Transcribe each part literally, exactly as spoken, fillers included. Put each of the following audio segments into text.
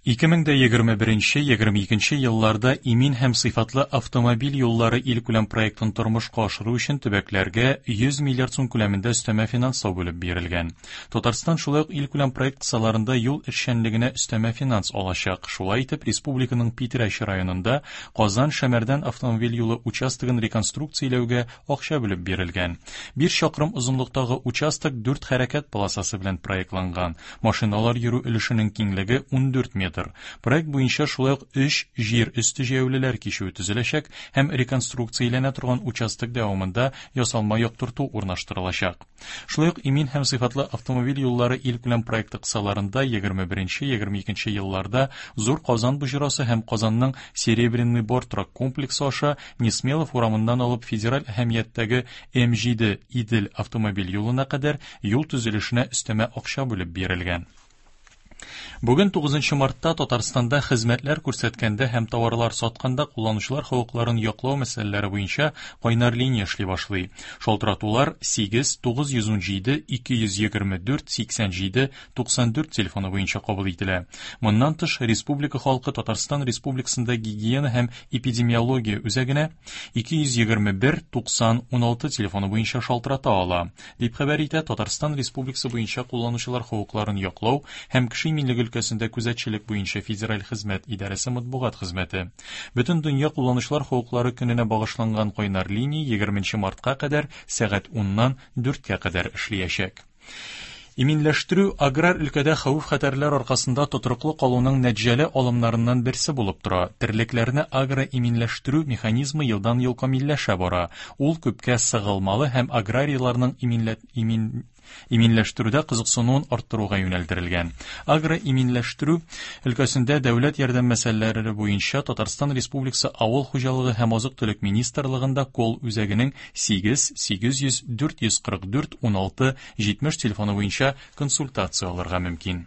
ике мең дә егерме беренче-егерме икенче елларда имин һәм сыйфатлы автомобиль юллары илкүләм проектын тормышка ашыру өчен төбәкләргә йөз миллиард сум күләмендә өстәмә финанслау бүлеп бирелгән. Татарстан шулай ук илкүләм проект кысаларында юл эшчәнлегенә өстәмә финанс алачак. Шулай итеп, республиканың Питрәч районында Казан-Шәмәрдән автомобиль юлы участогын реконструкцияләүгә акча бүлеп бирелгән. Биш чакрым озынлыктагы участок дүрт хәрәкәт полосасы белән проектланган. Машиналар йөрү өлешенең киңлеге ундүрт метр. Проект буенча шулай ук өч җир өсте җәяүлеләр кичүе төзеләчәк һәм реконструкцияләнә торган участок дәвамында ясалма яктырту урнаштырылачак. Шулай ук имин һәм сыйфатлы автомобиль юллары илкүләм проекты кысаларында егерме беренче, егерме икенче елларда Зур Казан боҗрасы һәм Казанның Серебряный Бор торак комплексы аша Несмелов урамыннан алып федераль әһәмияттәге М җиде Идел автомобиль юлына кадәр юл төзелешенә өстәмә акча бүлеп бирелгән. Бүген тугызынчы мартта Татарстанда хезмәтләр күрсәткәндә һәм товарлар сатканда кулланучылар хокукларын яклау мәсьәләләре буенча кайнар линия эшли башлый. Шалтыратулар сигез, тугыз йөз ун җиде, ике йөз егерме дүрт, сиксән җиде, туксан дүрт телефоны буенча кабул ителә. Моннан тыш, республика халкы Татарстан Республикасында гигиена һәм эпидемиология үзәгенә ике йөз егерме бер, туксан, уналты телефоны буенча шалтырата ала, дип хәбәр итә Татарстан Республикасы буенча кулланучылар хокукларын яклау һәм кеше иминлеге өлкәсендә күзәтчелек буенча федераль хезмәт идарәсе матбугат хезмәте. Бөтен дөнья кулланучылар хокуклары көненә багышланган кайнар линия егерменче мартка кадәр сәгать уннан дүрткә кадәр эшләячәк. Иминләштерү аграр өлкәдә хәвеф-хәтәрләр аркасында тотрыклы калуның нәтиҗәле алымнарыннан берсе булып тора. Терлекләрне агроиминләштерү механизмы елдан-ел камилләшә бара. Ул күпкә сыгылмалы һәм аграрийларның иминлә-, имин-, иминләштерүдә кызыксынуын арттыруга юнәлдерелгән. Агроиминләштерү өлкәсендә дәүләт ярдәм мәсьәләләре буенча Татарстан Республикасы Авыл хуҗалыгы һәм азык-төлек министрлыгында кол үзәгенең сигез, сигез йөз, дүрт йөз кырык дүрт, уналты, җитмеш телефоны буенча консультация алырга мөмкин.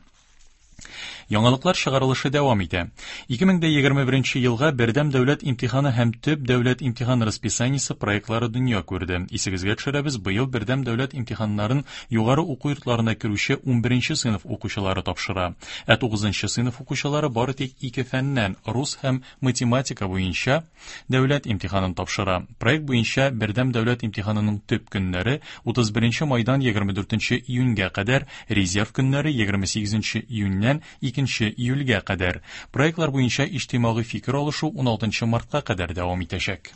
Яңалыклар чыгарылышы дәвам итә. Ике мең дә егерме беренче елга бердәм дәүләт имтиханы һәм төп дәүләт имтихан расписаниесе проектлары дөнья күрде. Исегезгә төшерәбез, быел бердәм дәүләт имтиханнарын югары уку йортларына керүче унберенче сыйныф укучылары тапшыра. Ә тугызынчы сыйныф укучылары бары тик ике фәннән рус һәм математика буенча дәүләт имтиханын тапшыра. Проект буенча бердәм дәүләт имтиханының төп көннәре утыз беренче майдан егерме дүртенче июньгә кадәр, резерв көннәре егерме сигезенче июньнән икенче июльгә кадәр. Проектлар буенча иҗтимагый фикер алышу уналтынчы мартка кадәр дәвам итәчәк.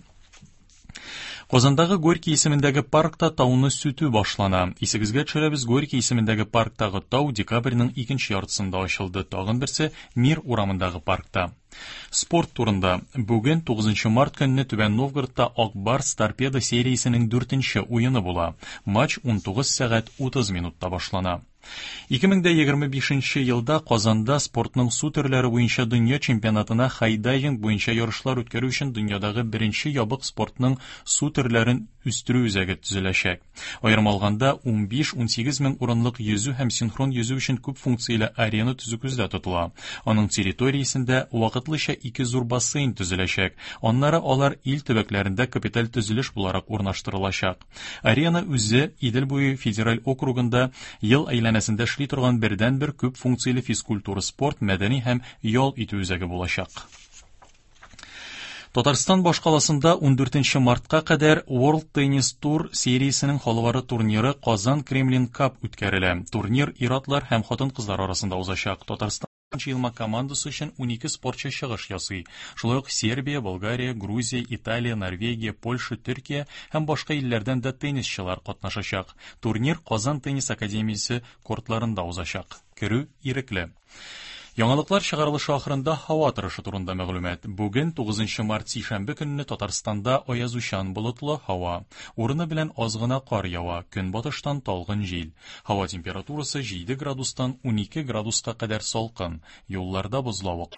Казандагы Горький исемендәге паркта тауны сүтү башлана. Исегезгә төшерәбез, Горький исемендәге парктагы тау декабрьнең икенче яртысында ачылды. Тагын берсе Мир урамындагы паркта. Спорт турында. Бүген тугызынчы март көнне Түбән Новгородта Ак Барс Торпедо сериясенең дүртенче уены була. Матч унтугыз сәгать утыз минутта башлана. Ике мең дә егерме бишенче елда Казанда спортның су төрләре буенча дөнья чемпионатына хайдайвинг буенча ярышлар үткәрү өчен дөньядагы беренче ябык спортның су төрләрен үстерү үзәге төзеләчәк. Аерым алганда, унбиш-унсигез мең урынлык йөзү һәм синхрон йөзү өчен күп функцияле арена төзү күздә тотыла. Аның территориясендә вакытлыча ике зур бассейн төзеләчәк. Аннары алар ил төбәкләрендә капиталь төзелеш буларак урнаштырылачак. Арена үзе Идел буе федераль округында ел әйләнәсендә эшли торган бердәнбер күп функцияле физкультура, спорт, мәдәни һәм ял итү үзәге булачак. Татарстан башкаласында ундүртенче мартка кадәр World Tennis Tour сериясенең халыкара турниры Казан Кремлин Cup үткәрелә. Турнир ир-атлар һәм хатын-кызлар арасында узачак. Татарстан җыелма командасы өчен унике спортчы чыгыш ясый. Шулай ук Сербия, Болгария, Грузия, Италия, Норвегия, Польша, Төркия һәм башка илләрдән дә теннисчылар катнашачак. Турнир Казан теннис академиясе кортларында узачак. Керү ирекле. Яңалыклар чыгарылышы ахырында һава торышы турында мәгълүмат. Бүген тугызынчы март сишәмбе көнне Татарстанда аязучан болытлы һава. Урыны белән аз гына кар ява, көнбатыштан талгын җил. Һава температурасы җиде градустан унике градуска кадәр салкын. Юлларда бозлавык.